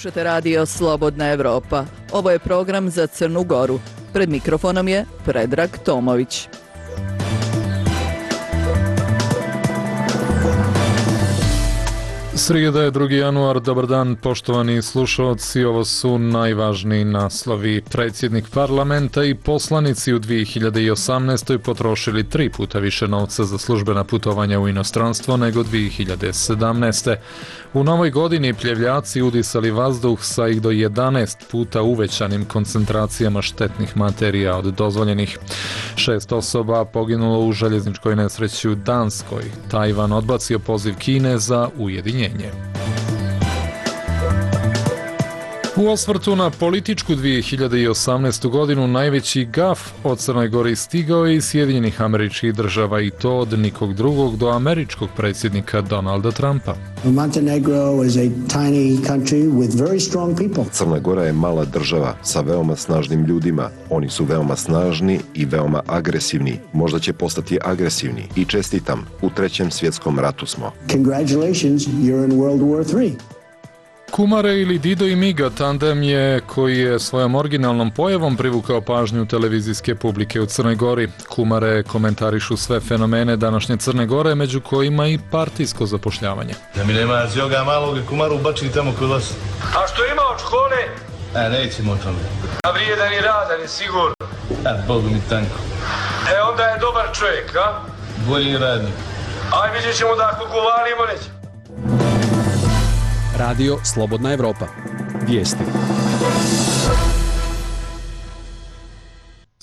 Slušate radio Slobodna Evropa. Ovo je program za Crnu Goru. Pred mikrofonom je Predrag Tomović. Srijeda je 2. januar, dobar dan poštovani slušalci, ovo su najvažniji naslovi. Predsjednik parlamenta i poslanici u 2018. potrošili 3 puta više novca za službena putovanja u inostranstvo nego 2017. U novoj godini pljevljaci udisali vazduh sa ih do 11 puta uvećanim koncentracijama štetnih materija od dozvoljenih. 6 osoba poginulo u željezničkoj nesreći u Danskoj. Tajvan odbacio poziv Kine za ujedinjenje. U osvrtu na političku 2018. godinu najveći gaf od Crnoj Gori stigao je iz Sjedinjenih Američkih Država i to od nikog drugog do američkog predsjednika Donalda Trumpa. Montenegro is a tiny country with very strong people. Crna Gora je mala država sa veoma snažnim ljudima. Oni su veoma snažni i veoma agresivni. Možda će postati agresivni. I čestitam, u 3. svjetskom ratu smo. Congratulations, you're in World War III. Kumare ili Dido i Miga tandem je koji je svojom originalnom pojavom privukao pažnju televizijske publike u Crnoj Gori. Kumare komentarišu sve fenomene današnje Crne Gore, među kojima i partijsko zapošljavanje. Da mi nema zjoga malog Kumaru ubačili tamo kod vas. A što ima od škole? Nećemo o tome. A vrijedan i radan i sigurno. Bogu mi tanko. Onda je dobar čovjek, a? Bolji radnik. Aj, vidjet ćemo da ako govorimo neće. Radio Slobodna Evropa. Vijesti.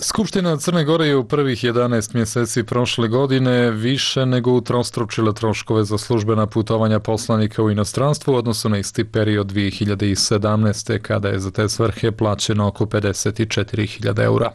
Skupština Crne Gore je u prvih 11 mjeseci prošle godine više nego utrostručila troškove za službena putovanja poslanika u inostranstvu u odnosu na isti period 2017. kada je za te svrhe plaćeno oko 54.000 eura.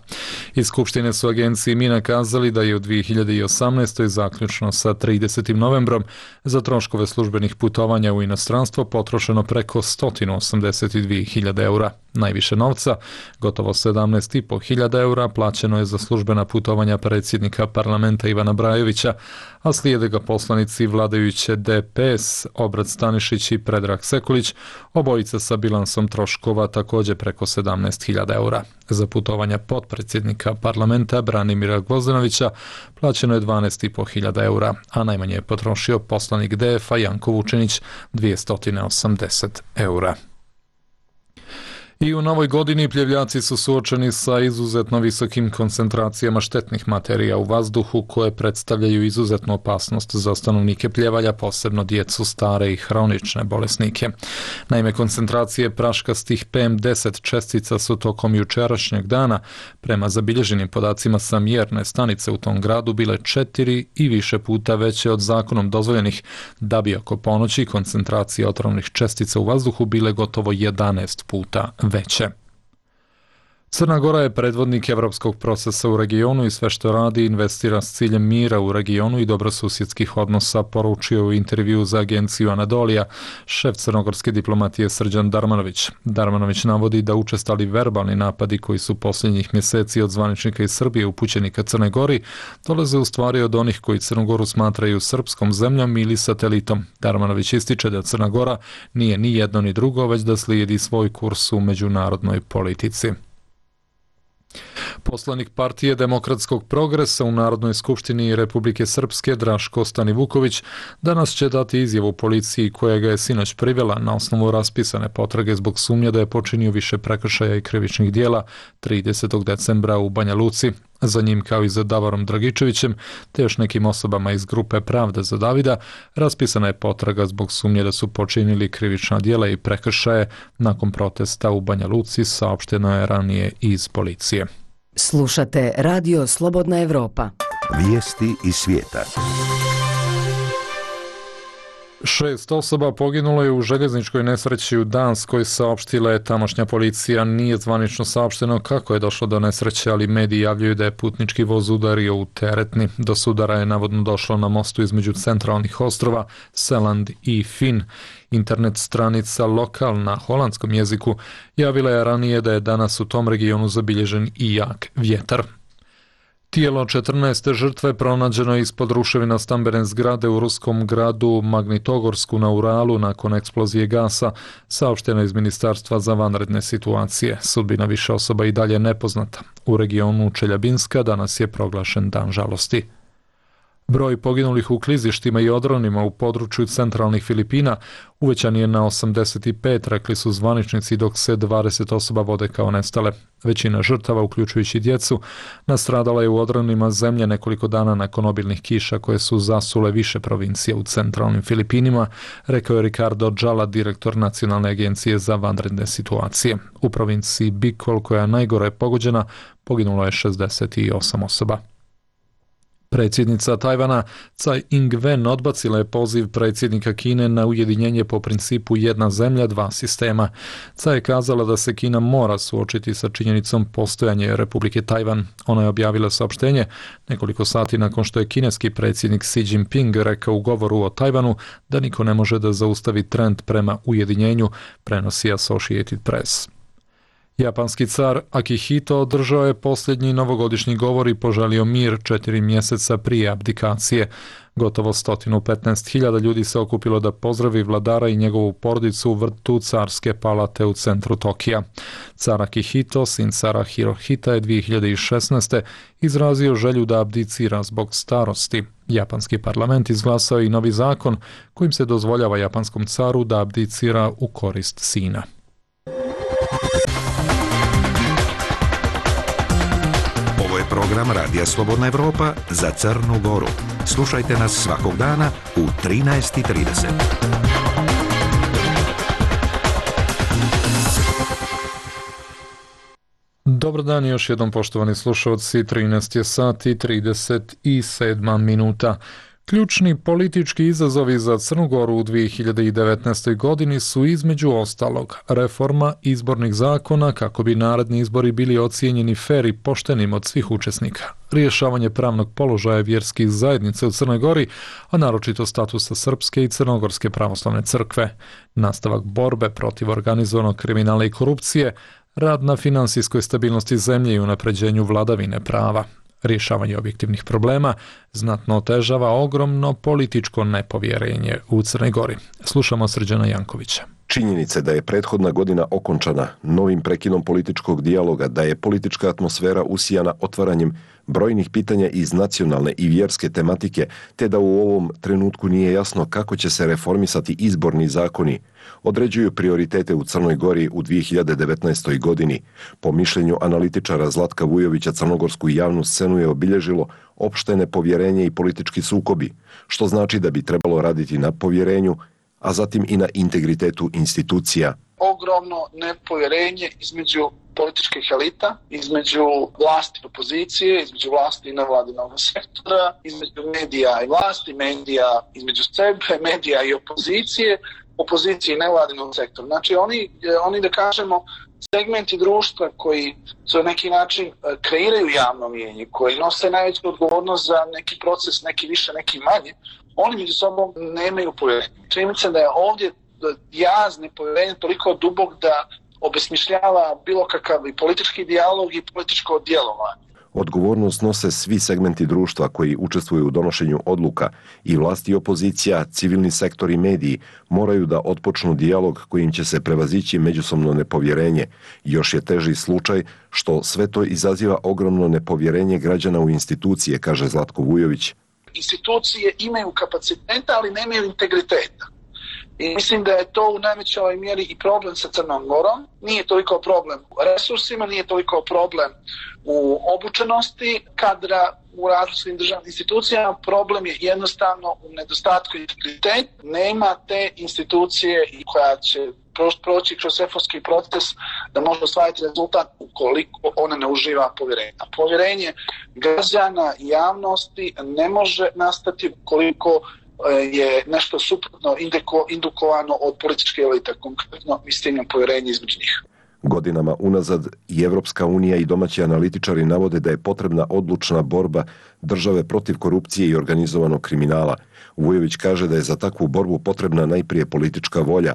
Iz Skupštine su agenciji MINA kazali da je u 2018. zaključno sa 30. novembrom za troškove službenih putovanja u inostranstvo potrošeno preko 182.000 eura. Najviše novca, gotovo 17.500 eura, plaćeno je za službena putovanja predsjednika parlamenta Ivana Brajovića, a slijede ga poslanici vladajuće DPS Obrad Stanišić i Predrag Sekulić, obojica sa bilansom troškova također preko 17.000 eura. Za putovanja potpredsjednika parlamenta Branimira Gvozdenovića plaćeno je 12.500 eura, a najmanje je potrošio poslanik DF-a Janko Vučinić 280 eura. I u novoj godini pljevljaci su suočeni sa izuzetno visokim koncentracijama štetnih materija u vazduhu koje predstavljaju izuzetnu opasnost za stanovnike Pljevalja, posebno djecu, stare i hronične bolesnike. Naime, koncentracije praškastih PM10 čestica su tokom jučerašnjeg dana, prema zabilježenim podacima sa mjerne stanice u tom gradu, bile 4 i više puta veće od zakonom dozvoljenih, da bi oko ponoći koncentracije otrovnih čestica u vazduhu bile gotovo 11 puta veće. Crna Gora je predvodnik evropskog procesa u regionu i sve što radi investira s ciljem mira u regionu i dobrosusjedskih odnosa, poručio u intervju za agenciju Anadolija šef crnogorske diplomatije Srđan Darmanović. Darmanović navodi da učestali verbalni napadi koji su posljednjih mjeseci od zvaničnika iz Srbije upućeni ka Crnoj Gori dolaze u stvari od onih koji Crnu Goru smatraju srpskom zemljom ili satelitom. Darmanović ističe da Crna Gora nije ni jedno ni drugo, već da slijedi svoj kurs u međunarodnoj politici. Poslanik partije Demokratskog progresa u Narodnoj skupštini Republike Srpske Draško Stanivuković danas će dati izjavu policiji koja ga je sinoć privela na osnovu raspisane potrage zbog sumnje da je počinio više prekršaja i krivičnih dijela 30. decembra u Banja Luci. Za njim, kao i za Davorom Dragičevićem te još nekim osobama iz grupe Pravda za Davida, raspisana je potraga zbog sumnje da su počinili krivična djela i prekršaje nakon protesta u Banja Luci, saopšteno je ranije iz policije. Slušate Radio Slobodna Evropa. Vijesti iz svijeta. 6 osoba poginulo je u željezničkoj nesreći u Danskoj, saopštila je tamošnja policija. Nije zvanično saopšteno kako je došlo do nesreće, ali mediji javljaju da je putnički voz udario u teretni. Do sudara je navodno došlo na mostu između centralnih ostrova Seland i Fin. Internet stranica Lokal na holandskom jeziku javila je ranije da je danas u tom regionu zabilježen i jak vjetar. Tijelo 14. žrtve pronađeno je ispod ruševina stambene zgrade u ruskom gradu Magnitogorsku na Uralu nakon eksplozije gasa, saopšteno iz Ministarstva za vanredne situacije. Sudbina više osoba i dalje nepoznata. U regionu Čeljabinska danas je proglašen dan žalosti. Broj poginulih u klizištima i odronima u području centralnih Filipina uvećan je na 85, rekli su zvaničnici, dok se 20 osoba vode kao nestale. Većina žrtava, uključujući djecu, nastradala je u odronima zemlje nekoliko dana nakon obilnih kiša koje su zasule više provincija u centralnim Filipinima, rekao je Ricardo Jala, direktor Nacionalne agencije za vanredne situacije. U provinciji Bicol, koja je najgore pogođena, poginulo je 68 osoba. Predsjednica Tajvana Tsai Ing-wen odbacila je poziv predsjednika Kine na ujedinjenje po principu jedna zemlja, dva sistema. Tsai je kazala da se Kina mora suočiti sa činjenicom postojanja Republike Tajvan. Ona je objavila saopštenje nekoliko sati nakon što je kineski predsjednik Xi Jinping rekao u govoru o Tajvanu da niko ne može da zaustavi trend prema ujedinjenju, prenosi Associated Press. Japanski car Akihito održao je posljednji novogodišnji govor i poželio mir 4 mjeseca prije abdikacije. Gotovo 115.000 ljudi se okupilo da pozdravi vladara i njegovu porodicu u vrtu carske palate u centru Tokija. Car Akihito, sin cara Hirohita, je 2016. izrazio želju da abdicira zbog starosti. Japanski parlament izglasao i novi zakon kojim se dozvoljava japanskom caru da abdicira u korist sina. Program Radija Slobodna Evropa za Crnu Goru. Slušajte nas svakog dana u 13:30. Dobar dan još jednom, poštovani slušalci. 13 je sat i 37 minuta. Ključni politički izazovi za Crnu Goru u 2019. godini su između ostalog reforma izbornih zakona kako bi naredni izbori bili ocijenjeni fer i poštenim od svih učesnika, rješavanje pravnog položaja vjerskih zajednica u Crnoj Gori, a naročito statusa Srpske i Crnogorske pravoslavne crkve, nastavak borbe protiv organizovanog kriminala i korupcije, rad na finansijskoj stabilnosti zemlje i unapređenju vladavine prava. Rješavanje objektivnih problema znatno otežava ogromno političko nepovjerenje u Crnoj Gori. Slušamo Srđana Jankovića. Činjenica da je prethodna godina okončana novim prekidom političkog dijaloga, da je politička atmosfera usijana otvaranjem brojnih pitanja iz nacionalne i vjerske tematike, te da u ovom trenutku nije jasno kako će se reformisati izborni zakoni, određuju prioritete u Crnoj Gori u 2019. godini. Po mišljenju analitičara Zlatka Vujovića, crnogorsku javnu scenu je obilježilo opšte nepovjerenje i politički sukobi, što znači da bi trebalo raditi na povjerenju, a zatim i na integritetu institucija. Ogromno nepovjerenje između političkih elita, između vlasti i opozicije, između vlasti i nevladinog sektora, između medija i vlasti, medija između sebe, medija i opozicije i nevladinog sektora. Znači oni da kažemo segmenti društva koji su na neki način kreiraju javno mnijenje, koji nose najveću odgovornost za neki proces, neki više, neki manje, oni među sobom nemaju povjerenja. Činjenica da je ovdje jaz nepovjerenja toliko dubok da obesmišljava bilo kakav i politički dijalog i političko djelovanje. Odgovornost nose svi segmenti društva koji učestvuju u donošenju odluka, i vlasti i opozicija, civilni sektor i mediji moraju da otpočnu dijalog kojim će se prevazići međusobno nepovjerenje. Još je teži slučaj što sve to izaziva ogromno nepovjerenje građana u institucije, kaže Zlatko Vujović. Institucije imaju kapaciteta, ali nemaju integriteta. I mislim da je to u najvećoj mjeri i problem sa Crnom Gorom. Nije toliko problem u resursima, nije toliko problem u obučenosti kadra u različitim državnim institucijama. Problem je jednostavno u nedostatku integriteta. Nema te institucije koja će proći kroz reformski proces da može ostvariti rezultat ukoliko ona ne uživa povjerenje. A povjerenje građana i javnosti ne može nastati ukoliko je nešto suprotno indukovano od političke elite, konkretno mislim povjerenje između njih. Godinama unazad i Evropska unija i domaći analitičari navode da je potrebna odlučna borba države protiv korupcije i organizovanog kriminala. Vujović kaže da je za takvu borbu potrebna najprije politička volja.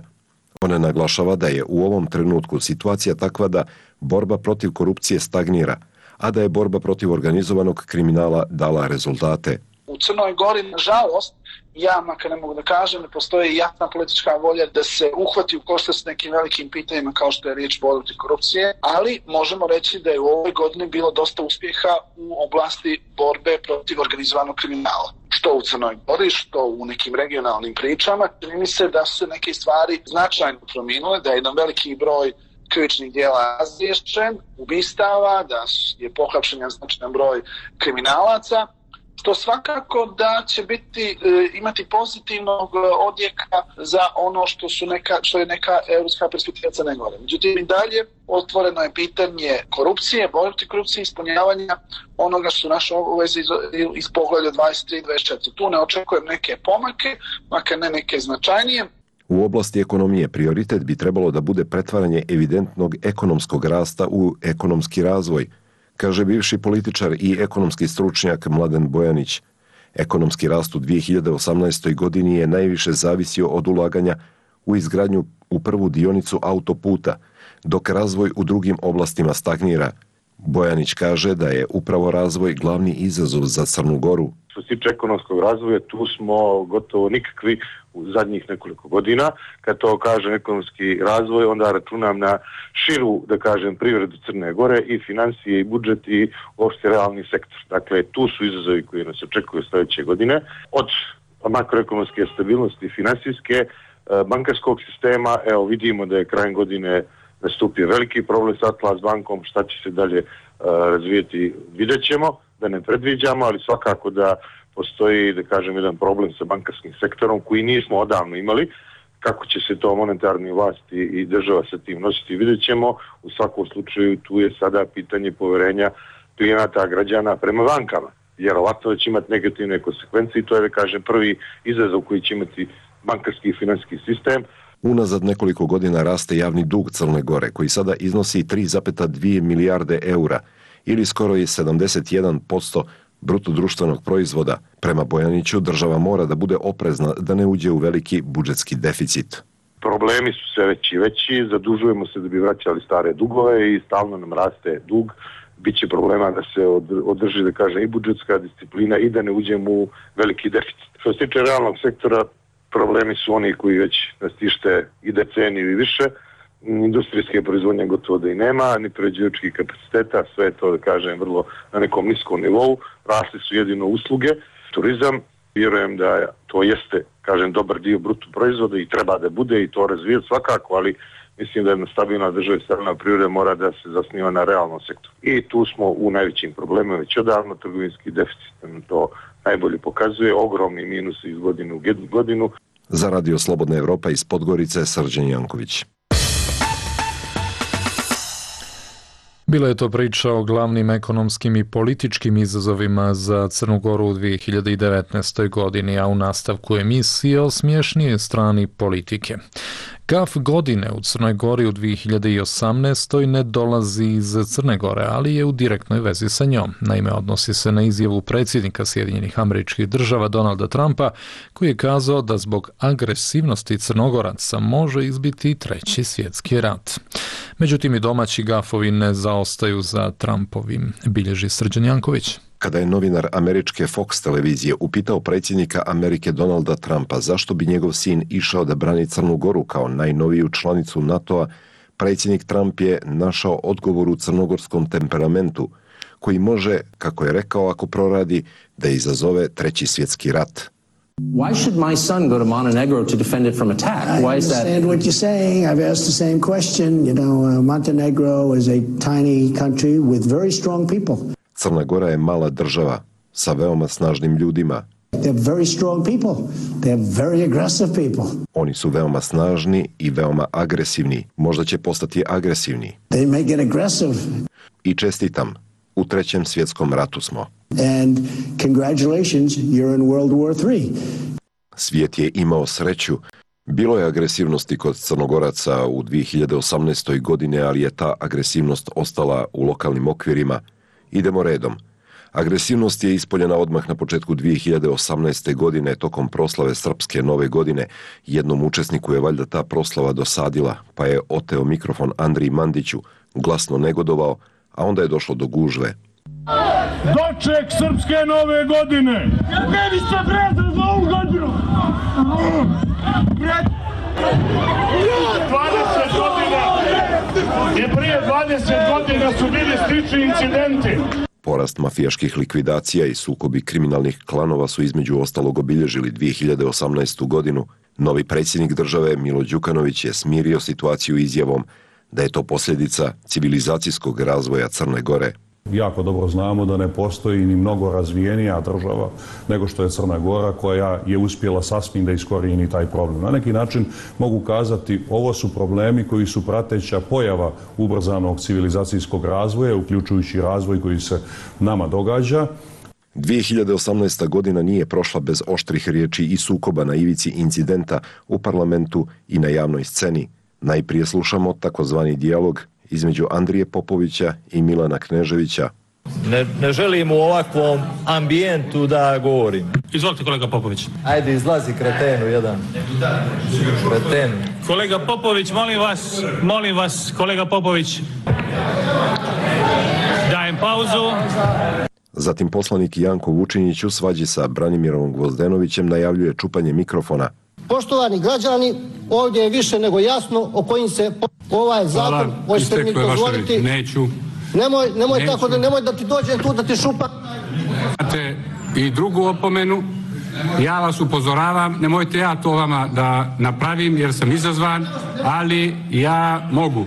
Ona naglašava da je u ovom trenutku situacija takva da borba protiv korupcije stagnira, a da je borba protiv organizovanog kriminala dala rezultate. U Crnoj Gori, nažalost, ja makar ne mogu da kažem, ne postoji jasna politička volja da se uhvati u koštac s nekim velikim pitanjima kao što je riječ borba protiv korupcije, ali možemo reći da je u ovoj godini bilo dosta uspjeha u oblasti borbe protiv organizovanog kriminala. Što u Crnoj Gori, što u nekim regionalnim pričama. Čini mi se da su se neke stvari značajno promijenile, da je jedan veliki broj krivičnih djela razriješen, ubistava, da je pohapšen značajan broj kriminalaca, što svakako da će imati pozitivnog odjeka za ono što je neka europska perspektiva Crne Gore. Međutim, i dalje otvoreno je pitanje korupcije, borbe protiv korupcije, ispunjavanja onoga što su naše obaveze iz poglavlja 23-24. Tu ne očekujem neke pomake, makar ne neke značajnije. U oblasti ekonomije prioritet bi trebalo da bude pretvaranje evidentnog ekonomskog rasta u ekonomski razvoj, kaže bivši političar i ekonomski stručnjak Mladen Bojanić. Ekonomski rast u 2018. godini je najviše zavisio od ulaganja u izgradnju u prvu dionicu autoputa, dok razvoj u drugim oblastima stagnira. Bojanić kaže da je upravo razvoj glavni izazov za Crnu Goru. Što se tiče ekonomskog razvoja, tu smo gotovo nikakvi u zadnjih nekoliko godina. Kad to kažem ekonomski razvoj, onda računam na širu, da kažem, privredu Crne Gore i financije i budžet i uopšte realni sektor. Dakle, tu su izazovi koji nas očekuju sljedeće godine. Od makroekonomske stabilnosti, finansijske, bankarskog sistema, evo vidimo da je krajem godine nastupio veliki problem s Atlas bankom, šta će se dalje razvijeti, vidjet ćemo, da ne predviđamo, ali svakako da postoji, da kažem, jedan problem sa bankarskim sektorom koji nismo odavno imali. Kako će se to monetarni vlasti i država sa tim nositi, vidjet ćemo. U svakom slučaju tu je sada pitanje poverenja klijenata, građana prema bankama. Vjerovatno da će imati negativne konsekvencije i to je, da kažem, prvi izazov koji će imati bankarski i financijski sistem. Unazad nekoliko godina raste javni dug Crne Gore, koji sada iznosi 3,2 milijarde eura ili skoro je 71% bruto društvenog proizvoda. Prema Bojaniću, država mora da bude oprezna da ne uđe u veliki budžetski deficit. Problemi su sve veći i veći, zadužujemo se da bi vraćali stare dugove i stalno nam raste dug. Biće problema da se održi, da kažem, i budžetska disciplina i da ne uđemo u veliki deficit. Što se tiče realnog sektora, problemi su oni koji već nas tište i deceniju i više. Industrijske proizvodnje gotovo da i nema, ni prerađivačkih kapaciteta, sve je to, da kažem, vrlo na nekom niskom nivou. Rasli su jedino usluge, turizam. Vjerujem da to jeste, kažem, dobar dio bruto proizvoda i treba da bude i to razvijeti svakako, ali mislim da jedna stabilna država i stabilna privreda mora da se zasniva na realnom sektoru. I tu smo u najvećim problemima već odavno, trgovinski deficit nam to najbolje pokazuje, ogromni minus iz godine u godinu. Za Radio Slobodna Evropa iz Podgorice, Srđan Janković. Bila je to priča o glavnim ekonomskim i političkim izazovima za Crnu Goru u 2019. godini, a u nastavku emisije o smješnije strani politike. Gaf godine u Crnoj Gori u 2018. ne dolazi iz Crne Gore, ali je u direktnoj vezi sa njom. Naime, odnosi se na izjavu predsjednika Sjedinjenih Američkih Država Donalda Trumpa, koji je kazao da zbog agresivnosti Crnogoraca može izbiti treći svjetski rat. Međutim, i domaći gafovi ne zaostaju za Trumpovim, bilježi Srđan Janković. Kada je novinar američke Fox televizije upitao predsjednika Amerike Donalda Trumpa zašto bi njegov sin išao da brani Crnu Goru kao najnoviju članicu NATO-a, predsjednik Trump je našao odgovor u crnogorskom temperamentu, koji može, kako je rekao, ako proradi, da izazove treći svjetski rat. Why should my son go to Montenegro to defend it from attack? Why is that? I understand what you're saying. I've asked the same question. You know, Montenegro is a tiny country with very strong people. Crna Gora je mala država sa veoma snažnim ljudima. They're very strong people. They're very aggressive people. Oni su veoma snažni i veoma agresivni. Možda će postati agresivni. They may get aggressive. I čestitam. U trećem svjetskom ratu smo. And congratulations, you're in World War III. Svijet je imao sreću. Bilo je agresivnosti kod Crnogoraca u 2018. godine, ali je ta agresivnost ostala u lokalnim okvirima. Idemo redom. Agresivnost je ispoljena odmah na početku 2018. godine tokom proslave Srpske nove godine. Jednom učesniku je valjda ta proslava dosadila, pa je oteo mikrofon Andriji Mandiću, glasno negodovao, a onda je došlo do gužve. Doček srpske nove godine. Meni se brezno za ovu godinu. 20 godina. I prije 20 godina su bili slični incidenti. Porast mafijaških likvidacija i sukobi kriminalnih klanova su između ostalog obilježili 2018. godinu. Novi predsjednik države Milo Đukanović je smirio situaciju izjavom da je to posljedica civilizacijskog razvoja Crne Gore. Jako dobro znamo da ne postoji ni mnogo razvijenija država nego što je Crna Gora, koja je uspjela sasvim da iskorijeni taj problem. Na neki način mogu kazati, ovo su problemi koji su prateća pojava ubrzanog civilizacijskog razvoja, uključujući razvoj koji se nama događa. 2018. godina nije prošla bez oštrih riječi i sukoba na ivici incidenta u parlamentu i na javnoj sceni. Najprije slušamo takozvani dijalog između Andrije Popovića i Milana Kneževića. Ne želim u ovakvom ambijentu da govorim. Izvolite, kolega Popović. Ajde, izlazi kretenu jedan. Kretenu. Kolega Popović, molim vas, kolega Popović. Dajem pauzu. Zatim poslanik Janko Vučinić u svađi sa Branimirom Gvozdenovićem najavljuje čupanje mikrofona. Poštovani građani, ovdje je više nego jasno o kojim se ovaj zakon, hoćete mi dozvoliti. Neću. Nemoj da ti dođem tu da ti šupa. Imate i drugu opomenu. Ja vas upozoravam, nemojte ja to vama da napravim jer sam izazvan, ali ja mogu.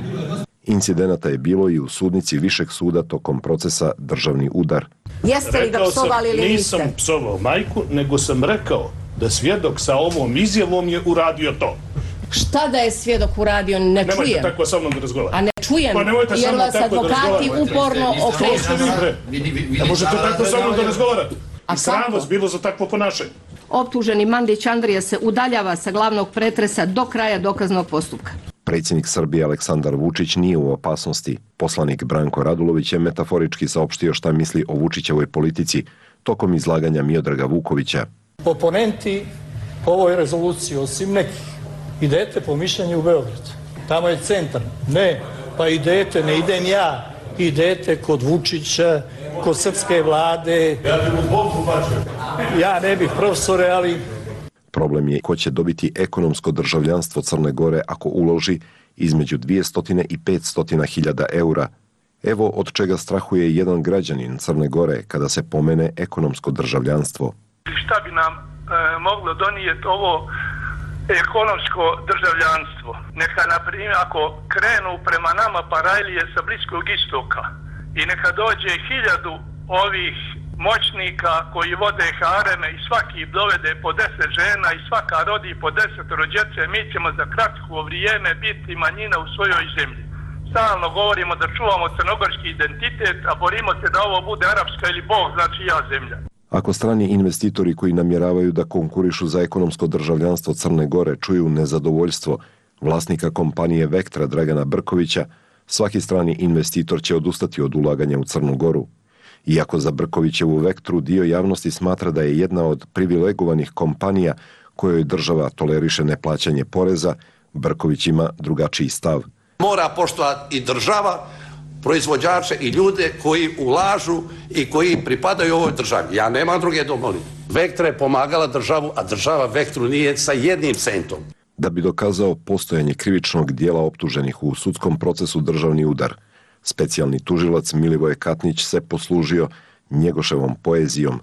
Incidenata je bilo i u sudnici Višeg suda tokom procesa Državni udar. Jeste li ga psovali ili niste? Nisam psovao majku, nego sam rekao da svjedok sa ovom izjavom je uradio to. Šta da je svjedok uradio, ne čujem. Nemojte tako sa mnom da razgovarate. A ne čujem, jer vas advokati uporno okreću. Ne možete tako sa mnom da razgovarate. I sram vas bilo za takvo ponašanje. Optuženi Mandić Andrija se udaljava sa glavnog pretresa do kraja dokaznog postupka. Predsjednik Srbije Aleksandar Vučić nije u opasnosti. Poslanik Branko Radulović je metaforički saopštio šta misli o Vučićevoj politici tokom izlaganja Miodraga Vukovića. Oponenti ovoj rezoluciji, osim nekih, idete po mišljenju u Beograd. Tamo je centar. Ne, pa idete, ne idem ja. Idete kod Vučića, kod srpske vlade. Ja bih u Bogu bačio. Ja ne bih, profesore, ali... Problem je ko će dobiti ekonomsko državljanstvo Crne Gore ako uloži između 200 i 500 hiljada eura. Evo od čega strahuje jedan građanin Crne Gore kada se pomene ekonomsko državljanstvo. Šta bi nam moglo donijeti ovo ekonomsko državljanstvo? Neka, na primjer, ako krenu prema nama parajlije sa Bliskog istoka i neka dođe 1000 ovih moćnika koji vode hareme i svaki dovede po 10 žena i svaka rodi po 10 djece, mi ćemo za kratko vrijeme biti manjina u svojoj zemlji. Stalno govorimo da čuvamo crnogorski identitet, a borimo se da ovo bude arapska ili Bog zna čija zemlja. Ako strani investitori koji namjeravaju da konkurišu za ekonomsko državljanstvo Crne Gore čuju nezadovoljstvo vlasnika kompanije Vektra Dragana Brkovića, svaki strani investitor će odustati od ulaganja u Crnu Goru. Iako za Brkovićevu Vektru dio javnosti smatra da je jedna od privilegovanih kompanija kojoj država toleriše neplaćanje poreza, Brković ima drugačiji stav. Mora poštovati i država, proizvođače i ljude koji ulažu i koji pripadaju ovoj državi. Ja nemam druge domovine. Vektra je pomagala državu, a država Vektru nije sa 1 centom. Da bi dokazao postojanje krivičnog dijela optuženih u sudskom procesu Državni udar, specijalni tužilac Milivoje Katnić se poslužio Njegoševom poezijom.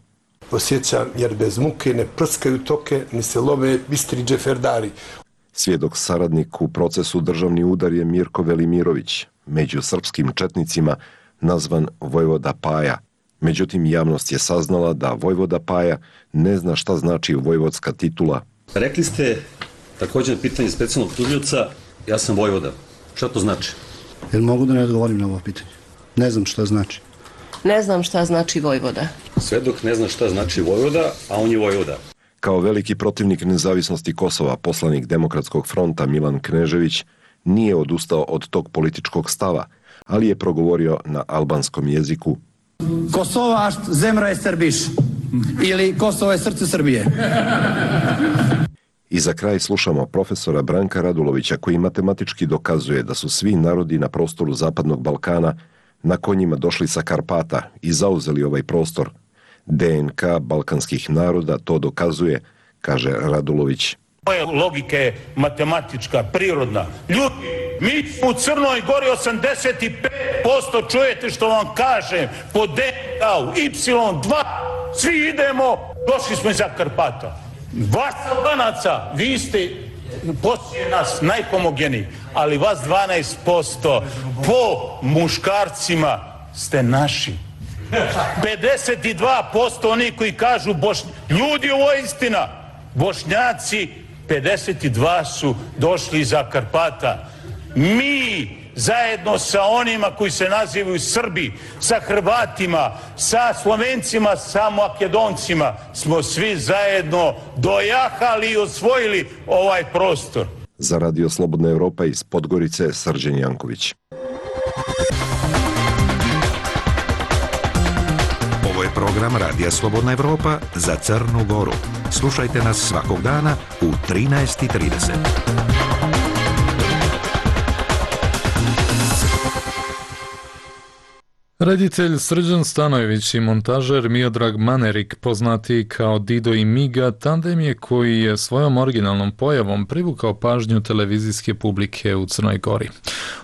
Osjećam jer bez muke ne prskaju toke, ni se lome bistri džeferdari. Svjedok saradnik u procesu Državni udar je Mirko Velimirović, među srpskim četnicima nazvan Vojvoda Paja. Međutim, javnost je saznala da Vojvoda Paja ne zna šta znači vojvodska titula. Rekli ste, također pitanje specijalnog tužioca, ja sam Vojvoda. Šta to znači? Jel mogu da ne odgovorim na ovo pitanje? Ne znam šta znači. Ne znam šta znači Vojvoda. Svedok ne zna šta znači Vojvoda, a on je Vojvoda. Kao veliki protivnik nezavisnosti Kosova, poslanik Demokratskog fronta Milan Knežević nije odustao od tog političkog stava, ali je progovorio na albanskom jeziku. Kosovašt zemra je Srbiš ili Kosovo je srce Srbije. I za kraj slušamo profesora Branka Radulovića koji matematički dokazuje da su svi narodi na prostoru Zapadnog Balkana na konjima došli sa Karpata i zauzeli ovaj prostor. DNK balkanskih naroda to dokazuje, kaže Radulović. Moja logika je matematička, prirodna. Ljudi, mi smo u Crnoj Gori 85%, čujete što vam kažem, po DNK-u, Y2, svi idemo, došli smo iza Karpata. Vas Albanaca, vi ste poslije nas najhomogeniji, ali vas 12% po muškarcima ste naši. 52% oni koji kažu ljudi, ovo je istina, Bošnjaci 52 su došli iza Karpata. Mi zajedno sa onima koji se nazivaju Srbi, sa Hrvatima, sa Slovencima, sa Makedoncima smo svi zajedno dojahali i osvojili ovaj prostor. Za Radio Slobodna Evropa iz Podgorice, Srđan Janković. Ovo je program Radija Slobodna Evropa za Crnu Goru. Slušajte nas svakog dana u 13:30. Reditelj Srđan Stanojević i montažer Miodrag Manerik, poznati kao Dido i Miga, tandem je koji je svojom originalnom pojavom privukao pažnju televizijske publike u Crnoj Gori.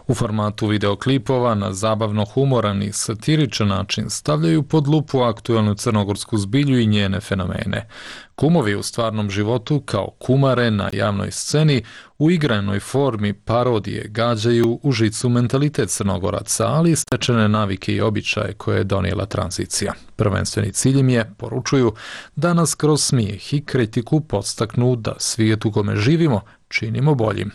U formatu videoklipova na zabavno humoran i satiričan način stavljaju pod lupu aktuelnu crnogorsku zbilju i njene fenomene. Kumovi u stvarnom životu kao kumare na javnoj sceni u igranoj formi parodije gađaju u žicu mentalitet Crnogoraca, ali i stečene navike i običaje koje je donijela tranzicija. Prvenstveni cilj im je, poručuju, da nas kroz smijeh i kritiku podstaknu da svijet u kome živimo činimo boljim.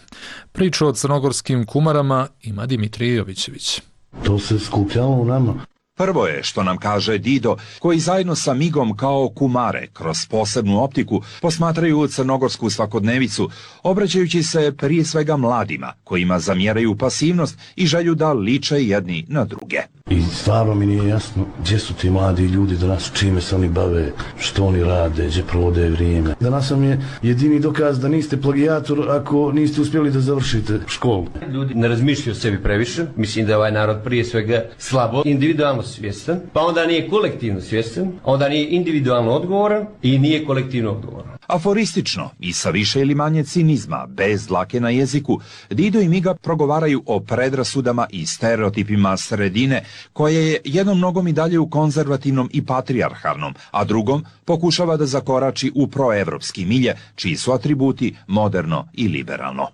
Priču o crnogorskim kumarama ima Dimitrij Jovićević. To se skupljalo u nama. Prvo je što nam kaže Dido, koji zajedno sa Migom kao kumare kroz posebnu optiku posmatraju crnogorsku svakodnevicu, obraćajući se prije svega mladima, kojima zamjeraju pasivnost i želju da liče jedni na druge. I stvarno mi nije jasno gdje su ti mladi ljudi danas, čime se oni bave, što oni rade, gdje provode vrijeme. Danas vam je jedini dokaz da niste plagijator ako niste uspjeli da završite školu. Ljudi ne razmišljaju o sebi previše, mislim da je ovaj narod prije svega slabo, individualno svjestan, pa onda nije kolektivno svjestan, onda nije individualno odgovoran i nije kolektivno odgovoran. Aforistično i sa više ili manje cinizma, bez dlake na jeziku, Dido i Miga progovaraju o predrasudama i stereotipima sredine, koje je jednom nogom i dalje u konzervativnom i patrijarhalnom, a drugom pokušava da zakorači u proevropski milje, čiji su atributi moderno i liberalno.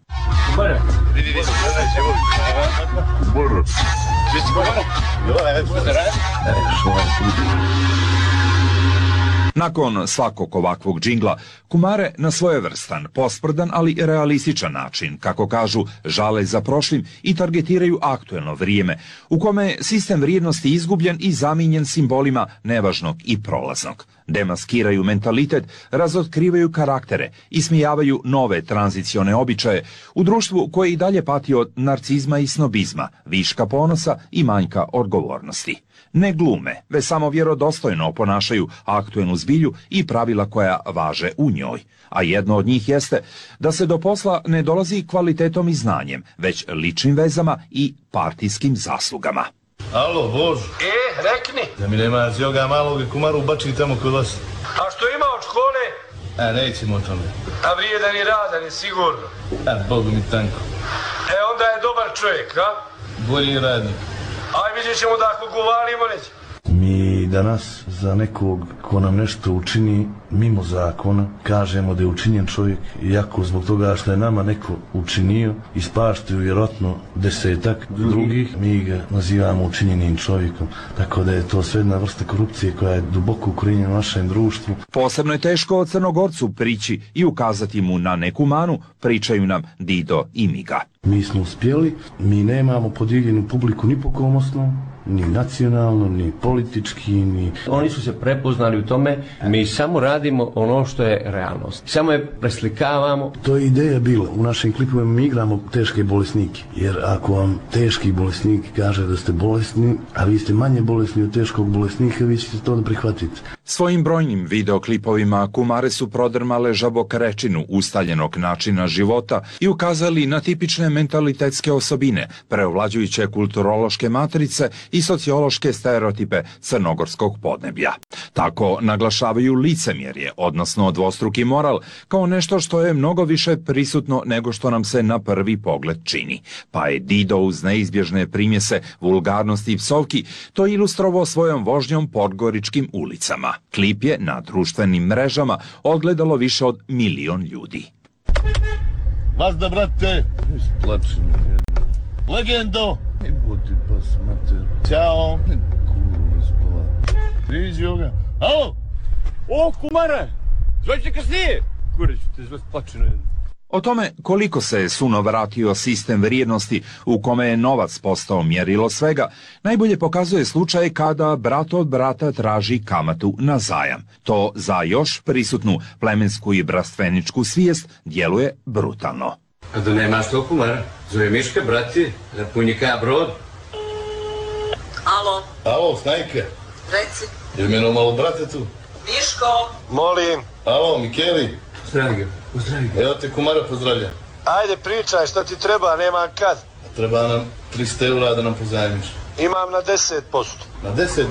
Nakon svakog ovakvog džingla, kumare na svojevrstan, posprdan, ali realističan način, kako kažu, žale za prošlim i targetiraju aktuelno vrijeme, u kome je sistem vrijednosti izgubljen i zamijenjen simbolima nevažnog i prolaznog. Demaskiraju mentalitet, razotkrivaju karaktere, ismijavaju nove tranzicione običaje u društvu koje i dalje pati od narcizma i snobizma, viška ponosa i manjka odgovornosti. Ne glume, već samo vjerodostojno oponašaju aktuelnu zbilju i pravila koja važe u njoj. A jedno od njih jeste da se do posla ne dolazi kvalitetom i znanjem, već ličnim vezama i partijskim zaslugama. Alo, Bož. Rekni. Da mi nema zjoga malog kumaru ubačili tamo kod vas. A što ima od škole? Nećemo o tome. A vrijedan i radan je sigurno. Bogu mi tanko. Onda je dobar čovjek, a? Bolji radnik. Aj, vidjet ćemo da ako govorimo neće. Mi danas za nekog ko nam nešto učini mimo zakona kažemo da je učinjen čovjek, iako zbog toga što je nama neko učinio ispaštaju vjerojatno 10-ak drugih, mi ga nazivamo učinjenim čovjekom. Tako da je to sve jedna vrsta korupcije koja je duboko ukorijenjena u našem društvu. Posebno je teško Crnogorcu prići i ukazati mu na neku manu, pričaju nam Dido i Miga. Mi smo uspjeli, mi nemamo podijeljenu publiku ni po kom osnovu, ni nacionalno, ni politički, ni... Oni su se prepoznali u tome, mi samo radimo ono što je realnost. Samo je preslikavamo. To je ideja bila. U našim klipovima mi igramo teške bolesnike. Jer ako vam teški bolesnik kaže da ste bolesni, a vi ste manje bolesni od teškog bolesnika, vi ćete to da prihvatite. Svojim brojnim videoklipovima kumare su prodrmale žabokrečinu ustaljenog načina života i ukazali na tipične mentalitetske osobine, preovlađujuće kulturološke matrice i sociološke stereotipe crnogorskog podneblja. Tako naglašavaju licemjerje, odnosno dvostruki moral, kao nešto što je mnogo više prisutno nego što nam se na prvi pogled čini. Pa je Dido uz neizbježne primjese vulgarnosti i psovki to ilustrovao svojom vožnjom podgoričkim ulicama. Klip je na društvenim mrežama odgledalo više od 1 milion ljudi. Vas da, brate! Legendo! Ćao! Priđi ovoga. Alo! O, kumare! Zvaće kasnije! Kureć, te zvat plačeno jedno. O tome koliko se suno vratio sistem vrijednosti u kome je novac postao mjerilo svega, najbolje pokazuje slučaj kada brat od brata traži kamatu na zajam. To za još prisutnu plemensku i brastveničku svijest djeluje brutalno. A da nemaš to kumara? Zove Miška, brati, da punjika brod. Alo? Alo, Snajke. Reci. Je meno malo brate tu? Miško! Molim. Alo, Mikeli. Pozdravi ga, pozdravi ga. Evo te kumara pozdravlja. Ajde pričaj, šta ti treba, nemam kad. Treba nam 300 eura da nam pozajmiš. Imam na 10%. Na 10%?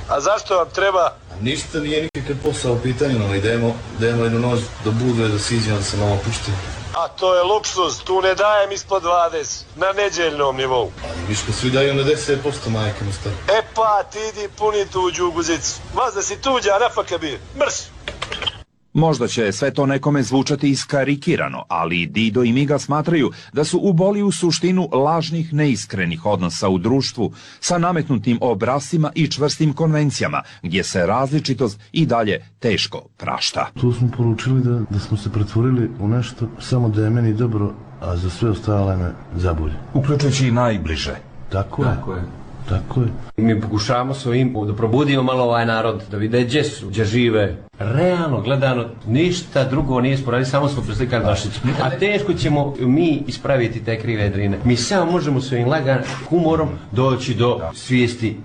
A zašto vam treba? A ništa nije nikakav posao u pitanju, no idemo jednu noć do Budve da siđemo da se malo puštimo. A to je luksuz, tu ne dajem ispod 20, na neđeljnom nivou. Ali Miško, svi daju na 10%, majke mu stari. E pa, ti idi puni tuđu guzicu. Vas da si tuđa, nafaka bi. Mrš! Možda će sve to nekome zvučati iskarikirano, ali Dido i Miga smatraju da su uboli u suštinu lažnih, neiskrenih odnosa u društvu sa nametnutim obrascima i čvrstim konvencijama, gdje se različitost i dalje teško prašta. Tu smo poručili da smo se pretvorili u nešto samo da je meni dobro, a za sve ostale me zabolje. Uključujući i najbliže. Tako je. Tako je. Mi pokušavamo svojim da probudimo malo ovaj narod, da vide gdje su, gdje žive. Realno gledano, ništa drugo nije sporaditi, samo smo preslikali Vlašicu. A teško ćemo mi ispraviti te krive drine. Mi samo možemo svojim laganim humorom doći do svijesti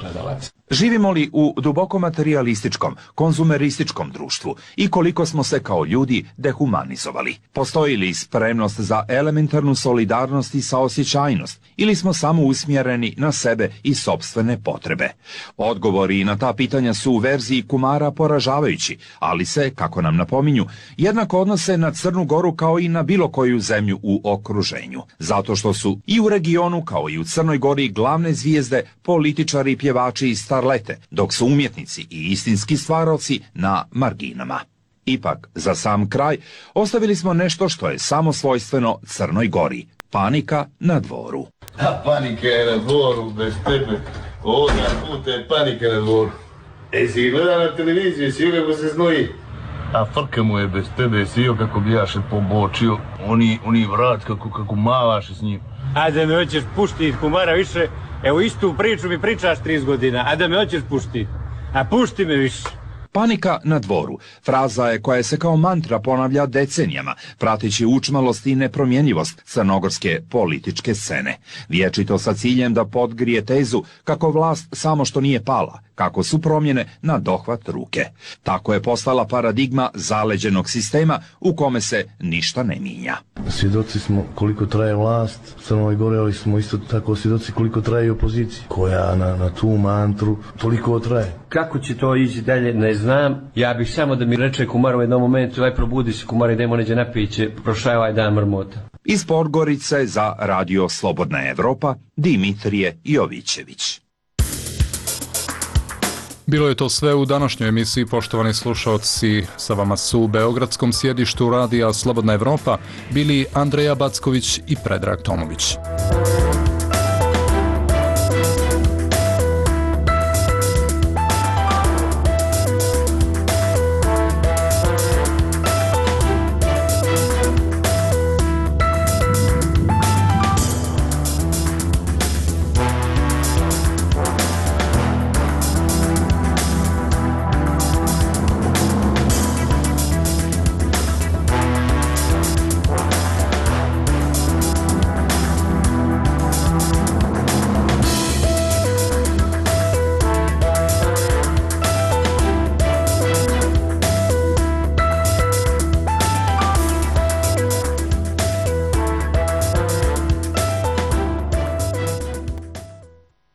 gledalaca. Živimo li u duboko materialističkom, konzumerističkom društvu i koliko smo se kao ljudi dehumanizovali? Postoji li spremnost za elementarnu solidarnost i saosjećajnost ili smo samo usmjereni na sebe i sopstvene potrebe? Odgovori na ta pitanja su u verziji kumara poražavajući, ali se, kako nam napominju, jednako odnose na Crnu Goru kao i na bilo koju zemlju u okruženju. Zato što su i u regionu kao i u Crnoj Gori glavne zvijezde, političari, pjevači i starlete, dok su umjetnici i istinski stvaraoci na marginama. Ipak, za sam kraj, ostavili smo nešto što je samo svojstveno Crnoj Gori. Panika na dvoru. A panika je na dvoru, bez tebe. Ovoga puta je panika na dvoru. Si gleda na televiziju, si kako se znoji. A frka mu je bez tebe, si kako bi jaše pobočio. Oni vrat kako mavaše s njim. A da me hoćeš puštiti, kumara, više. Evo istu priču mi pričaš 30 godina, a da me hoćeš puštiti. A pušti me više. Panika na dvoru. Fraza je koja se kao mantra ponavlja decenijama, prateći učmalost i nepromjenjivost crnogorske političke scene. Vječito sa ciljem da podgrije tezu kako vlast samo što nije pala, kako su promjene na dohvat ruke. Tako je postala paradigma zaleđenog sistema u kome se ništa ne mijenja. Svjedoci smo koliko traje vlast u Crnoj Gori, ali smo isto tako svjedoci koliko traje i opozicija, koja na tu mantru toliko traje. Kako će to ići dalje, ne znam. Ja bih samo da mi reče kumar u jednom momentu, aj probudi se kumar, idemo neđe napiće, prošaj ovaj dan mrmota. Iz Podgorice za Radio Slobodna Evropa, Dimitrije Jovićević. Bilo je to sve u današnjoj emisiji, poštovani slušalci. Sa vama su u beogradskom sjedištu Radija Slobodna Evropa bili Andreja Backović i Predrag Tomović.